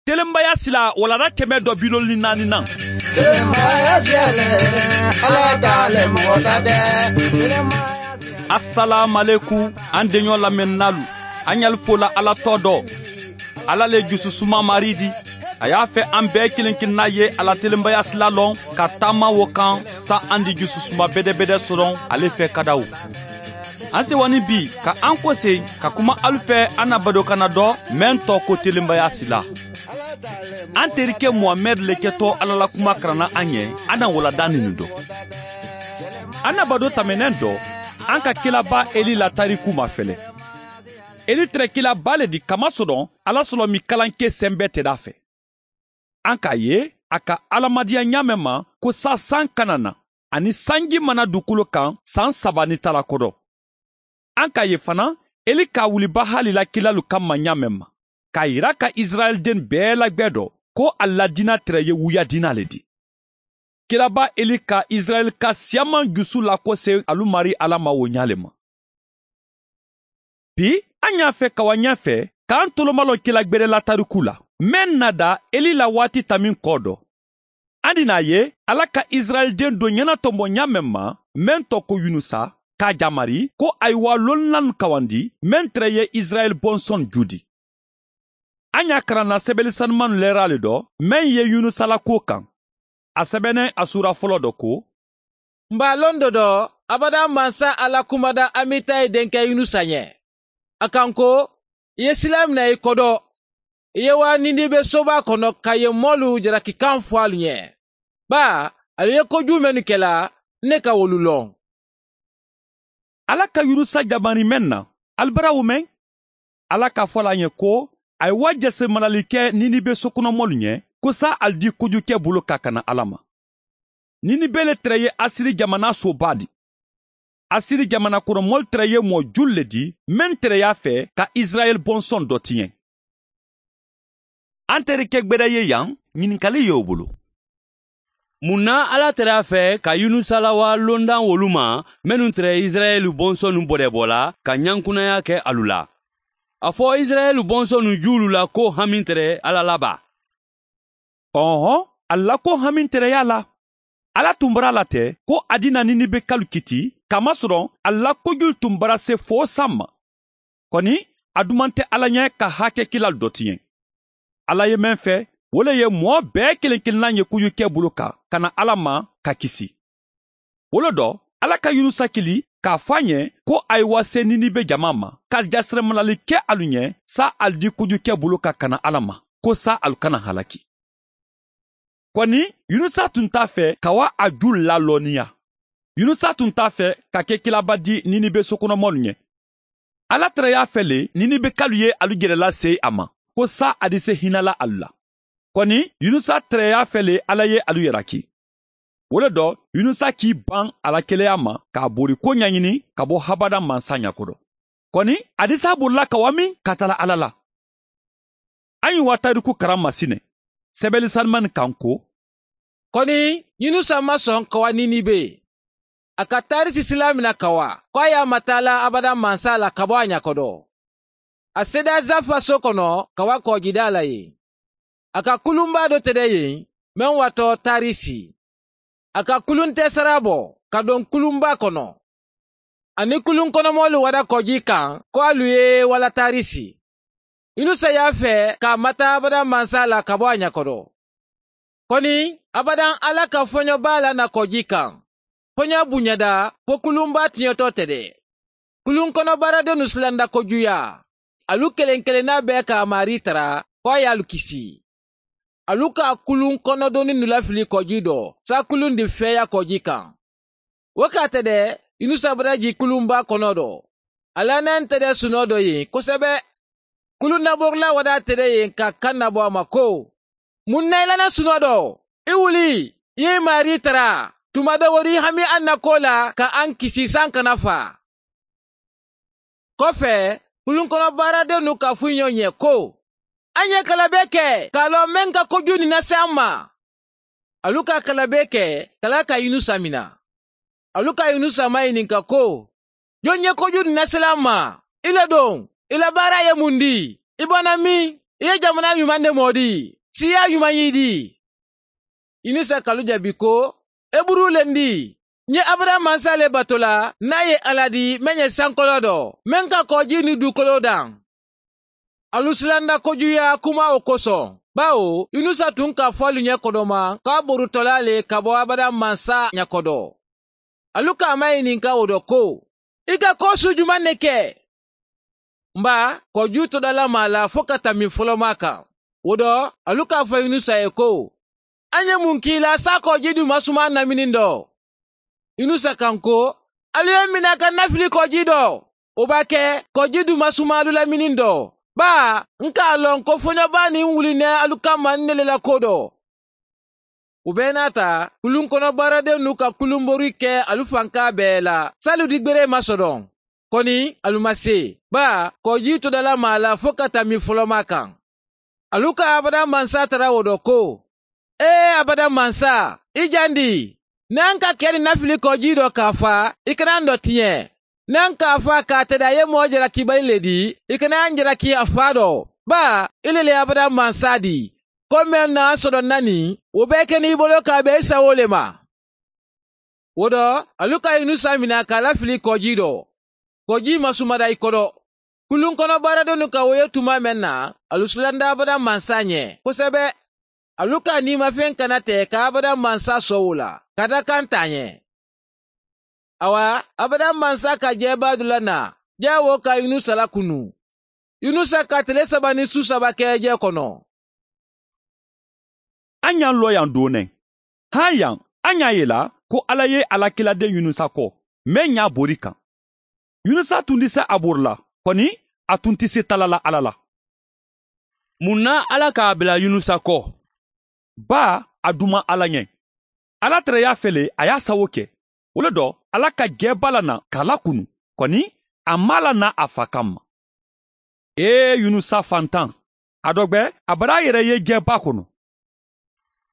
Telenbaya sila walada 174nan. Telenbaya siyale, Ala t'ale mɔgɔ ta tɛ. Asalaamaleku an denɲɔ lamɛnnalu, an y'alu fola Ala tɔ dɔ. Ala le jususuma mari di. A y'a fɛ an bɛɛ kelen kelenna ye ala telenbaya sila lɔn ka taama wo kan sa an di jususuma bɛdɛbɛdɛ sɔrɔ ale fɛ kadaw. An sewani bi ka an kɔse ka kuma alu fɛ an na badokana dɔ mɛn tɔ ko telenbaya sila. An terikɛ Muhamɛd le kɛtɔ Ala la kuma karanna an ɲɛ an na walada ninu dɔ. An na bado tɛmɛnɛn dɔ an ka kilaba Eli la tariku mafɛlɛ. Eli tɛrɛ kilaba le di kamasɔrɔ Ala sɔrɔ mi kalanke sɛnbɛ tɛrɛ a fɛ. An k'a ye a ka alamadiya ɲa mɛn ma ko sa san kana na ani sanji mana dugukolo kan san 3 ni tala kɔrɔ. An k'a ye fana Eli k'a wuli Bahali la kilalu kama ɲa mɛn ma k'a yira ka Israɛl den bɛɛ lagbɛ dɔ ko a ladina tɛrɛ ye wuya dina le di. Kiraba Eli ka Israɛl ka siyaman jusu lakɔse alu mari Ala ma o ɲa le ma. Bi an y'a fɛ ka wa ɲɛ fɛ k'an tolomalɔ kila gbɛrɛ la tariku la. Mɛn nada Eli la waati tamin kɔ dɔ. An di n'a ye Ala ka Israɛl den dɔ ɲɛnatɔmɔ ɲa mɛn ma mɛn tɔ ko Yunusa k'a jamari ko ayiwa lonlan kawandi mɛn tɛrɛ ye Israɛl bɔnsɔn judi. An y'a karan na sɛbɛnni sanuman lɛra le dɔ mɛn ye Yunusa la ko kan. A sɛbɛnnen a sura fɔlɔ dɔ ko: N b'a lɔn dɔ dɔ abada mansa Ala kumada Amitayi denkɛ Yunusa ɲɛ. A kan ko i ye sila minɛ i kɔ dɔ. I ye wa Ninibe soba kɔnɔ ka yen mɔlu jarakikan fɔ alu ɲɛ. Ba alu ye kojugu minnu kɛla ne ka wolu lɔn. Ala ka Yunusa jabani mɛn na alibara wo mɛn. Ala k'a fɔ la ɲɛ ko a ye wa jɛse marali kɛ Ninibe sokɔnɔmɔlu ɲɛ ko sa ali di kojugukɛ bolo ka kana Ala ma. Ninibe le tɛrɛ ye Asiri jamana soba di. Asiri jamana kɔnɔmɔlu tɛrɛ ye mɔ julu le di mɛn tɛrɛ y'a fɛ ka Israɛl bɔnsɔn dɔ tiɲɛ. An terikɛ gbɛdɛ ye yan ɲininkali y'o bolo. Mun na Ala tɛrɛ a fɛ ka Yunusa lawa londan wolu ma minnu tɛrɛ Israɛl bɔnsɔnnu bɔdɛbɔ la ka ɲankunnaya kɛ alu la? A fɔ Israɛl bɔnsɔnnu juulu la ko hami tɛrɛ Ala la ba. Ɔhɔn, a la ko hami tɛrɛ y'a la. Ala tun bara la tɛ ko a di na Ninibe kalu kiti kamasɔrɔ a la kojugu tun bara se fo san ma. Kɔni a duman tɛ Ala ɲɛ ka hakɛ kila dɔ tiɲɛ. Ala ye mɛn fɛ o le ye mɔɔ bɛɛ kelen kelenna ye kojugukɛ bolo kan ka na Ala ma ka kisi. O le dɔ Ala ka Yunusa kili k'a fɔ a ɲɛ ko ayiwa se Ninibe jama ma ka jasirɛmalali kɛ alu ɲɛ sa alu di kojugukɛ bolo kan ka na Ala ma ko sa alu kana halaki. Kɔni Yunusa tun t'a fɛ ka wa a ju lalɔnniya. Yunusa tun t'a fɛ ka kɛ kilaba di Ninibe sokɔnɔmɔlu ɲɛ. Ala tɛrɛ y'a fɛ le Ninibe kalu ye alu gɛrɛla se a ma ko sa a di se hinɛ la alu la. Kɔni Yunusa tɛrɛ y'a fɛ le Ala ye alu yɛrɛki. O le dɔ Yunusa k'i ban a la keleya ma k'a bori ko ɲɛɲini ka bɔ habada mansa ɲɛkɔrɔ. Kɔni a di s'a bolila ka wa min ka taala Ala la. An ye wa tariku karan masinɛ. Sɛbɛnni sanuman kan ko: Kɔni Yunusa ma sɔn ka wa Ninibe. A ka Tarisi sila minɛ ka wa ko a y'a matala abada mansa la ka bɔ a ɲɛkɔrɔ. A sera Zafa so kɔnɔ ka wa kɔgɔjida la yen. A ka kulunba dɔ tɛrɛ yen mɛn watɔ Tarisi. A ka kulun tɛ sara bɔ ka don kulunba kɔnɔ. Ani kulun kɔnɔmɔlu wara kɔji kan ko alu ye wala Tarisi. Yunusa y'a fɛ k'a mata abada mansa la ka bɔ a ɲɛkɔrɔ. Kɔni abadan Ala ka fɔɲɔba la na kɔji kan. Fɔɲɔ bonyada fo kulunba tiɲɛtɔ tɛ dɛ. Kulun kɔnɔ baaradenw silanda kojuya. Alu kelen kelenna bɛɛ k'a mari tara fo a y'alu kisi. Alu ka kulun kɔnɔdonni nu lafili kɔji dɔ sa kulun de fɛya kɔji kan. O k'a tɛ dɛ Yunusa bara ji kulunba kɔnɔ dɔ. A lanan tɛ dɛ sunɔ dɔ yen kosɛbɛ. Kulun nabɔrila wada tɛ dɛ yen ka kan nabɔ a ma ko: Mun na i lana sunɔ dɔ? I wuli, i ye mari tara. Tuma dɔ wari hami an na ko la ka an kisi san kana fa. Kɔfɛ, kulun kɔnɔ baaradenw ka fɔ ɲɔgɔn ɲɛ ko: An ye kalabe kɛ k'a lɔn mɛn ka kojugu nin lase an ma. Alu ka kalabe kɛ kala ka Yunusa mina. Alu ka Yunusa maɲininka ko: Jɔn ye kojugu nin lase an ma? I le don, i la baara ye mun di? I bɔnna min? I ye jamana ɲuman de mɔ di, siya ɲuman y'i di. Yunusa k'alu jaabi ko, Eburu le n di. N ye Abada mansa le bato la, n'a ye Ala di mɛn ye sankolo dɔ, mɛn ka kɔji ni dukolo dan. Alu silanda kojuya kuma o kosɔn, bawo Yunusa tun k'a fɔ alu ɲɛ kɔdɔma k'a borutɔla le ka bɔ Abada mansa ɲɛkɔdɔ. Alu k'a maɲininka o dɔ ko, i ka ko su juman ne kɛ? Nba kɔju tɔdala ma la fo ka tami fɔlɔma kan. O dɔ, alu k'a fɔ Yunusa ye ko, an ye mun k'i la sa kɔji dun masuma namini dɔ? Yunusa kan ko, alu ye mina ka nafili kɔji dɔ. O b'a kɛ kɔji dun masuma alu lamini dɔ. Ba, n k'a lɔn ko fɔɲɔba nin wulinɛ alu kama n ne la ko dɔ. O bɛɛ n'a ta, kulun kɔnɔ baaraden n'u ka kulunbori kɛ alu fanka bɛɛ la, salu digbere ma sɔrɔ. Kɔni, alu ma se. Ba, kɔji tɔdala ma la fo ka tami fɔlɔma kan. Alu ka abada mansa tara o dɔ ko, ee abada mansa, i jandi, n'an ka kɛ ni nafili kɔji dɔ k'a fa, i kana an dɔ tiɲɛ. N'an k'a fa k'a tɛda ye mɔɔ jalakibali le di, i kana an jalaki a fa dɔ. Ba, i le le abada mansa di. Ko mɛn n'an sɔrɔ nani, o bɛɛ kɛ n'i bolo k'a bɛn i sago le ma. O dɔ, alu ka Yunusa mina k'a lafili kɔji dɔ. Kɔji ma sumada i kɔrɔ. Kulun kɔnɔ baaradenw ka o ye tuma mɛn na, alu silanda abada mansa ɲɛ kosɛbɛ. Alu ka nimafɛn kana tɛ ka abada mansa sɔn o la, ka da kan ta ɲɛ. Awa, abada mansa ka jɛba dɔ la na, jawo ka Yunusa lakunu. Yunusa ka tile 3 ni su 3 kɛ jɛ kɔnɔ. An y'an lɔ yan don nɛ. Han yan, an y'a ye la ko Ala ye Alakiladen Yunusa kɔ, mɛn y'a bori kan. Yunusa tun tɛ se a bori la, kɔni a tun tɛ se tala la Ala la. Mun na Ala k'a bila Yunusa kɔ? Ba, a duma Ala ɲɛ. Ala tɛrɛ y'a fɛle, a y'a sago kɛ. O le dɔ, Ala ka jɛba la na k'a lakunu, kɔni a m'a la na a fa kan ma. Ee Yunusa fantan, a dɔgbɛ a bara a yɛrɛ ye jɛba kɔnɔ.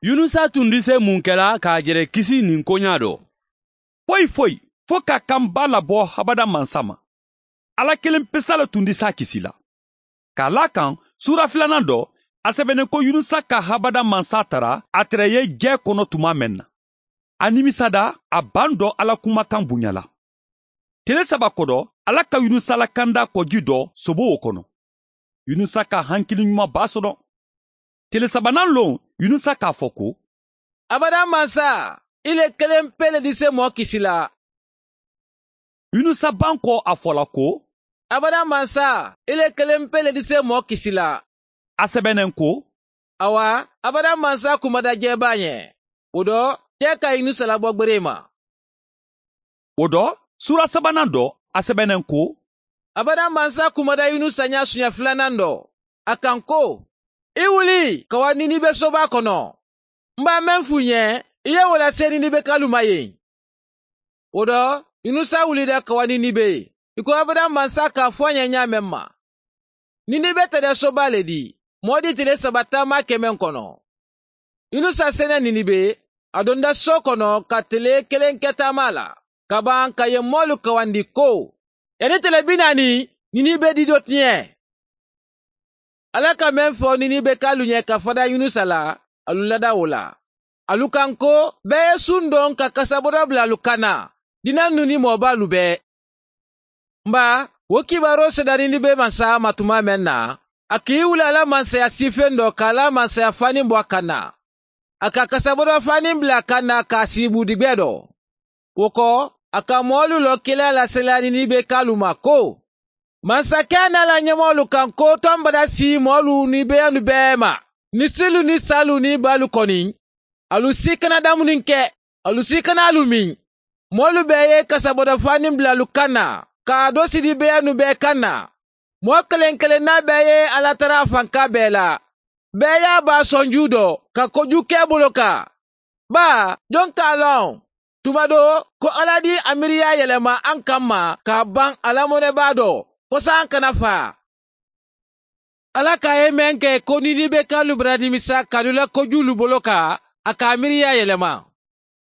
Yunusa tun tɛ se mun kɛla k'a jɛrɛ kisi nin koɲa dɔ? Foyi foyi, fo ka kanba labɔ habada mansa ma. Ala kelen pesa le tun tɛ s'a kisi la. K'a la kan sura 2 dɔ, a sɛbɛnnen ko Yunusa ka habada mansa tara a tɛrɛ ye jɛ kɔnɔ tuma mɛn na. A nimisada, a ban dɔ Ala kumakan bonyala. Tele 3 kɔdɔ, Ala ka Yunusa lakanda kɔji dɔ sobo o kɔnɔ. Yunusa ka hankili ɲuman ba sɔrɔ. Tele 3nan lon, Yunusa k'a fɔ ko, Abada mansa, i le kelen pe le di se mɔɔ kisi la. Yunusa ban kɔ a fɔla ko, Abada mansa, i le kelen pe le di se mɔɔ kisi la. A sɛbɛnnen ko, Awa, abada mansa kumada jɛba ɲɛ. O dɔ, jɛ ka Yunusa labɔ gbere ma. O dɔ, sura 3nan dɔ, a sɛbɛnnen ko, Abada mansa kumada Yunusa ɲɛ suɲɛ 2nan dɔ. A kan ko, i wuli ka wa Ninibe soba kɔnɔ. N b'a mɛn f'u ɲɛ, i ye o lase Ninibe kalu ma yen. O dɔ, Yunusa wulila ka wa Ninibe. I ko abada mansa k'a fɔ a ɲɛ ɲa mɛn ma. Ninibe tɛrɛ soba le di, mɔɔ di tile 3 taama kɛmɛ kɔnɔ. Yunusa sɛnɛ Ninibe, a donda so kɔnɔ ka tile 1 kɛ taama la, ka ban ka yen mɔɔlu kawandi ko, yanni tile 40, Ninibe di dɔ tiɲɛ. Ala ka mɛn fɔ Ninibe k'alu ɲɛ ka fada Yunusa la, alu lada o la. Alu kan ko, bɛɛ ye sun dɔn ka kasabɔdɔ bila alu kan na, dinan nu ni mɔɔbalu bɛɛ. Nba, o kibaro sera Ninibe mansa ma tuma mɛn na, a k'i wuli ala mansaya sifen dɔ k'a la mansaya fani bɔ a kan na. A ka kasabɔdɔ fani bila a kan na k'a sigi budigbɛ dɔ. O kɔ, a ka mɔɔlu lɔ kelen lasela Ninibe k'alu ma ko, mansakɛ n'a la ɲɛmɔgɔlu kan ko tɔn bada si mɔɔlu ni bɛyanu bɛɛ ma. Ni silu ni salu ni balu kɔni, alu si kana damuni kɛ, alu si kana alu min. Mɔɔlu bɛɛ ye kasabɔdɔ fani bila alu kan na, k'a dɔ sidi bɛyanu bɛɛ kan na. Mɔɔ kelen kelenna bɛɛ ye Ala tara fanka bɛɛ la. Bɛɛ y'a ba sɔnju dɔ ka koju kɛ bolo kan. Ba, jɔn k'a lɔn? Tuma dɔ, ko Ala di a miiriya yɛlɛma an kama k'a ban alamɔnɛba dɔ, ko san kana fa. Ala k'a ye mɛn kɛ ko Ninibe kalu bara nimisa k'alu la kojulu bolo kan, a k'a miiriya yɛlɛma.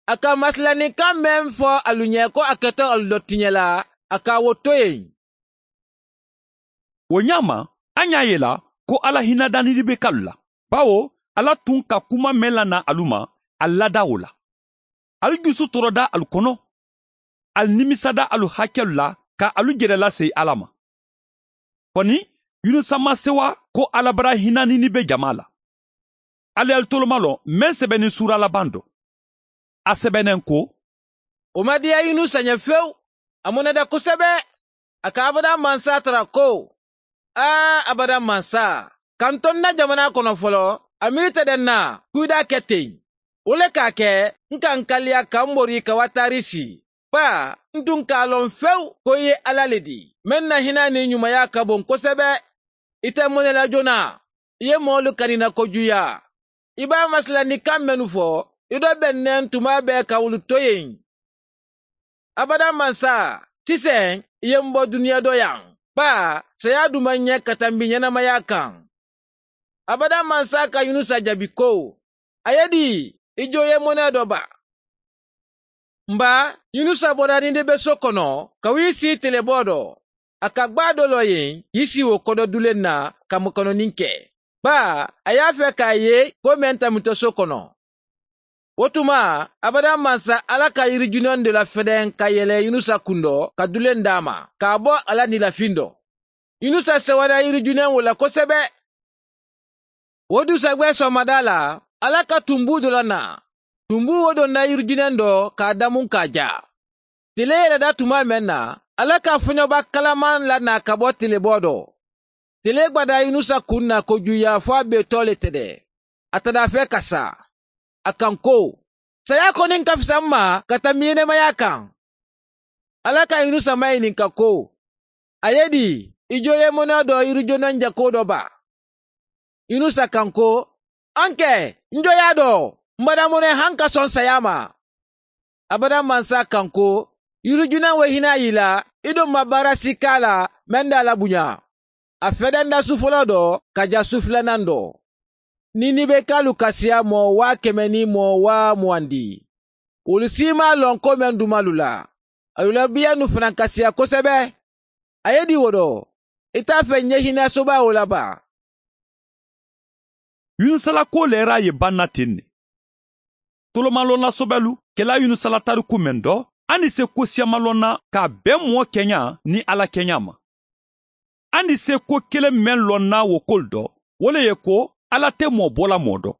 A ka masilanikan mɛn fɔ alu ɲɛ ko a kɛtɔ alu dɔ tiɲɛ la, a k'a wo to yen. O ɲa ma, an y'a ye la ko Ala hinada Ninibekalu la. Bawo Ala tun ka kuma mɛn lana alu ma, a lada o la. Alu jusu tɔrɔda alu kɔnɔ, alu nimisada alu hakɛlu la ka alu jɛrɛ lase Ala ma. Kɔni Yunusa ma sewa ko Ala bara hinɛ Ninibe jama la. Ale y'alu toloma lɔn mɛn sɛbɛnni sura laban dɔ. A sɛbɛnnen ko: O ma diya Yunusa ɲɛ fewu, a mɔnɛda kosɛbɛ. A ka abada mansa tara ko: Aa abada mansa, ka n to n na jamana kɔnɔ fɔlɔ, a miiri tɛ dɛ n na ko i d'a kɛ ten. O le k'a kɛ n ka n kaliya ka n bori ka wa Tarisi. Ba, n tun k'a lɔn fewu ko i ye Ala le di, mɛn na hinɛ ni ɲumanya ka bon kosɛbɛ. I tɛ mɔnɛ la joona, i ye mɔɔlu kanina kojuya. I b'a masila ni kan mɛnnu fɔ, i dɔ bɛnnen tuma bɛɛ ka wulu to yen. Abada mansa, sisan i ye n bɔ duniya dɔ yan. Ba, saya dun ma ɲɛ ka tanbi ɲɛnamaya kan. Abada mansa ka Yunusa jaabi ko: A ye di, i jo ye mɔnɛ dɔ ba. Nba, Yunusa bɔra Ninibe so kɔnɔ ka w'i si telebɔ dɔ. A ka gba dɔ lɔ yen k'i si o kɔdɔ dulen na ka mɔkɔnɔnin kɛ. Ba, a y'a fɛ k'a ye ko mɛn tamitɔ so kɔnɔ. O tuma, abada mansa Ala ka yirijunɛn de la fɛdɛn ka yɛlɛ Yunusa kun dɔ ka dulen d'a ma, k'a bɔ ala nilafin dɔ. Yunusa sɛwara yirijunɛn o la kosɛbɛ. O dusagwɛ sɔgɔmada la, Ala ka tunbu dɔ la na. Tunbu o donna yirijunɛn dɔ k'a damu k'a ja. Tile yɛlɛda tuma mɛn na, Ala ka fɔɲɔba kalaman la na ka bɔ tilebɔ dɔ. Tile gwada Yunusa kun na kojuya fɔ a bɛ tɔ le tɛdɛ. A tada fɛ ka sa. A kan ko: Saya kɔni ka fisa n ma ka taa ɲɛnɛmaya kan. Ala ka Yunusa maɲininka ko: A ye di, i jo ye mɔnɛ dɔ yirijɔnɛ jako dɔ ba? Yunusa kan ko: An kɛ, n jo y'a dɔn, n bada mɔnɛ han ka sɔn saya ma. Abada mansa kan ko: Yirijunɛ wo hinɛ y'i la, i dun ma baara si k'a la mɛn da la bonya. A fɛdɛn da su fɔlɔ dɔ ka ja su filanan dɔ. Ninibe kalu kasiya mɔɔ 100 ni mɔɔ 20 di. Olu si ma lɔn ko mɛn dumalu la. Alu la biya nu fana kasiya kosɛbɛ. A ye di wo dɔ, i t'a fɛ ɲɛ hinɛ soba o la ba. Yunusala ko lɛra ye banna ten ne. Tolomalɔnna sɔbɛlu kɛla Yunusala tariku mɛn dɔ, an ni se ko siyamalɔnna k'a bɛn mɔɔ kɛɲa ni Ala kɛɲa ma. An ni se ko kelen mɛn lɔnna wo kol dɔ, o le ye ko Ala tɛ mɔɔ bɔla mɔɔ dɔ.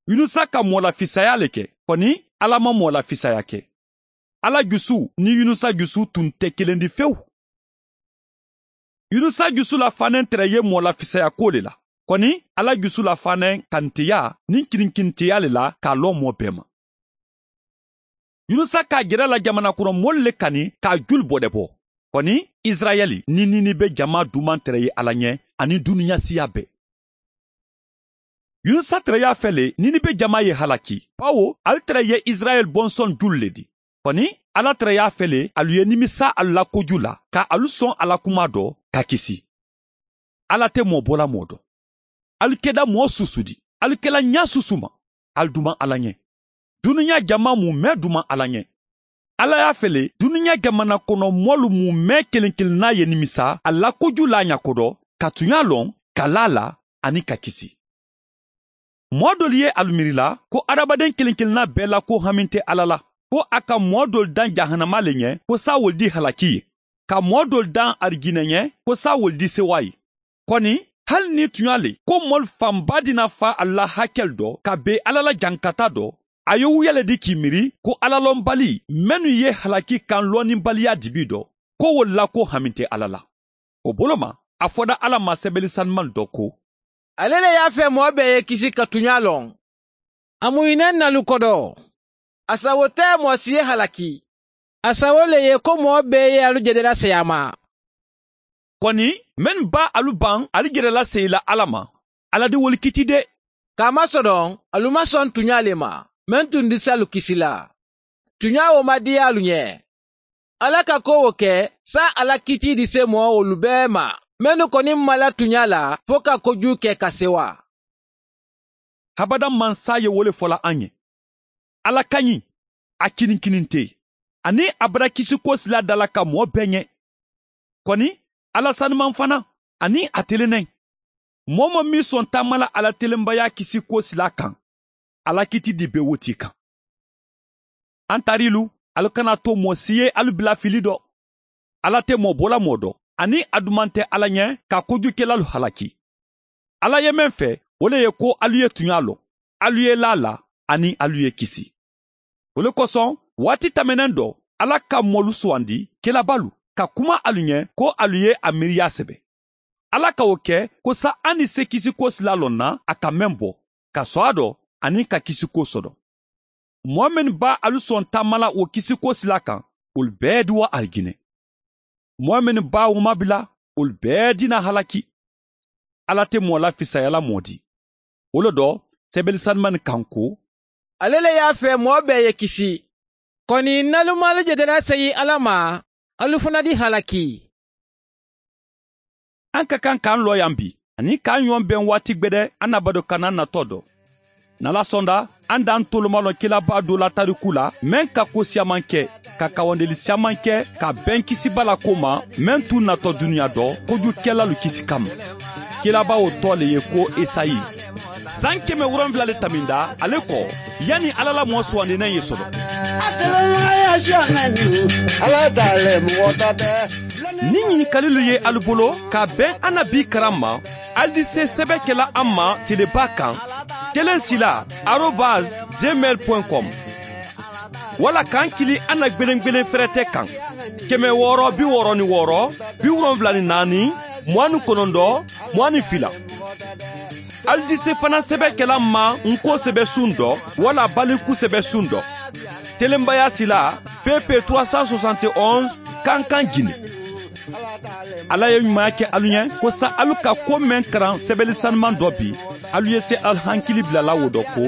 Yunusa ka mɔɔ lafisaya le kɛ, kɔni Ala ma mɔɔ lafisaya kɛ. Ala jusu ni Yunusa jusu tun tɛ kelen di fewu. Yunusa jusu la fanen tɛrɛ ye mɔɔ lafisaya ko le la. Kɔni Ala jusu la fanen kantiya ni kirinkintiya le la k'a lɔ mɔɔ bɛɛ ma. Yunusa k'a jɛrɛ la jamana kɔnɔ mɔli le kani k'a joli bɔdɛ bɔ. Kɔni Israɛli ni Ninibe jama duman tɛrɛ ye Ala ɲɛ ani duniya siya bɛɛ. Yunusa tɛrɛ y'a fɛ le Ninibe jama ye halaki, bawo ale tɛrɛ ye Israɛl bɔnsɔn julu le di. Kɔni Ala tɛrɛ y'a fɛ le alu ye nimisa alu la koju la ka alu sɔn Ala kuma dɔ ka kisi. Ala tɛ mɔɔ bɔla mɔɔ dɔ. Alu kɛda mɔɔ susu di, alu kɛla ɲa susu ma, alu duman Ala ɲɛ. Dunuya jama mun mɛn duman Ala ɲɛ. Ala y'a fɛ le dunuya jamana kɔnɔ mɔlu mun mɛn kelen kelenna ye nimisa a la koju la ɲako dɔ, ka tunya lɔn, ka la la ani ka kisi. Mɔɔ dɔlu ye alu miiri la ko adamaden kelen kelenna bɛɛ la ko hami tɛ Ala la, ko a ka mɔɔ dɔlu dan jahanama le ɲɛ ko sa wol di halaki ye, ka mɔɔ dɔlu dan arijinɛ ɲɛ ko sa wol di sewa ye. Kɔni hali ni tunya le ko mɔlu fanba dina fa a la hakɛli dɔ ka be Ala la jankata dɔ, a ye wuyale di k'i miiri ko alalɔnbali mɛnnu ye halaki kan lɔnnibaliya dibi dɔ, ko wol la ko hami tɛ Ala la. O bolo ma, a fɔda Ala ma sɛbɛnni sanuman dɔ ko: Ale le y'a fɛ mɔɔ bɛɛ ye kisi ka tunya lɔn. A muhinɛ nalu kɔdɔ. A sago tɛ mɔɔ si ye halaki. A sago le ye ko mɔɔ bɛɛ ye alu jɛdɛla saya ma. Kɔni mɛn ba alu ban alu jɛrɛla seyila Ala ma, Ala di woli kiti dɛ. K'a masɔrɔ alu ma sɔn tunya le ma, mɛn tun di se alu kisi la. Tunya o ma diya alu ɲɛ. Ala ka ko o kɛ sa Ala kiti di se mɔɔ olu bɛɛ ma. Mɛnnu kɔni ma la tunya la fo ka kojugu kɛ ka sewa. Habada mansa ye wole fɔla an ye. Ala ka ɲi, a kinikinin tɛ, ani a bara kisi ko sila da la ka mɔɔ bɛɛ ɲɛ. Kɔni Ala sanuman fana, ani a telenen. Mɔɔ mɔ min sɔn taama la Ala telenbaya kisi ko sila kan, Ala kiti di be wo ti kan. An tarilu, alu kana to mɔ si ye alu bila fili dɔ. Ala tɛ mɔ bɔla mɔ dɔ, ani a duman tɛ Ala ɲɛ ka kojukɛlalu halaki. Ala ye mɛn fɛ, o le ye ko alu ye tuɲa lɔ, alu ye la la, ani alu ye kisi. O le kosɔn, waati tɛmɛnen dɔ, Ala ka mɔlu sugandi kelabalu ka kuma alu ɲɛ ko alu ye a miiriya sɛbɛ. Ala ka o kɛ ko sa an ni se kisiko sila lɔ na a ka mɛn bɔ, ka sɔn a dɔ ani ka kisiko sɔrɔ. Mɔɔ minnu b'a alu sɔn taama la o kisiko sila kan, olu bɛɛ di wa alijinɛ. Mɔɔ minnu b'a o mabila, olu bɛɛ dina halaki. Ala tɛ mɔɔ la fisayala mɔɔ di. O le dɔ, sɛbɛnni sanuman kan ko, ale le y'a fɛ mɔɔ bɛɛ ye kisi. Kɔni n'alu jɛtɛla seyi Ala ma, alu fana di halaki. An ka kan k'an lɔ yan bi, ani k'an ɲɔgɔn bɛn waati gbɛdɛ an na bado kana natɔ dɔ. N'Ala sɔnda, an d'an tolomalɔ kelaba dɔ la tariku la, mɛn ka ko siyaman kɛ, ka kawandeli siyaman kɛ, ka bɛn kisiba la ko ma, mɛn t'u natɔ dunuya dɔ, kojukɛlalu kisi kama. Kelaba o tɔ le ye ko Esayi. San 700 le taminda ale kɔ, yanni Ala la mɔɔ sugandinen ye sɔrɔ. Ni ɲininkalilu ye alu bolo ka bɛn an na bi karan ma, alu di se sɛbɛ kɛla an ma teleba kan 1 sila @gmail.com wala k'an kili an na gbelengbelen fɛrɛtɛ kan 666 74 29 22. Alu di se fana sɛbɛ kɛla ma nko sɛbɛ sun dɔ wala baliku sɛbɛ sun dɔ. Telenbaya sila PP 371 Kankan Guinée. Ala ye ɲumanya kɛ alu ɲɛ ko sa alu ka ko mɛn karan sɛbɛnni sanuman dɔ bi, alu ye se alu hankili bilala wo dɔ ko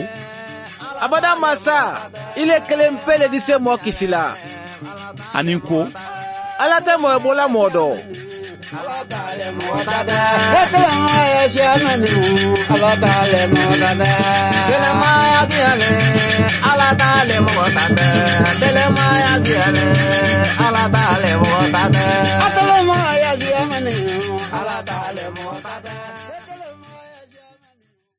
abada masa, ile kelen pe le di se mɔɔ kisi la. Ani ko Ala tɛ mɔɔ bɔla mɔɔ dɔ. Ala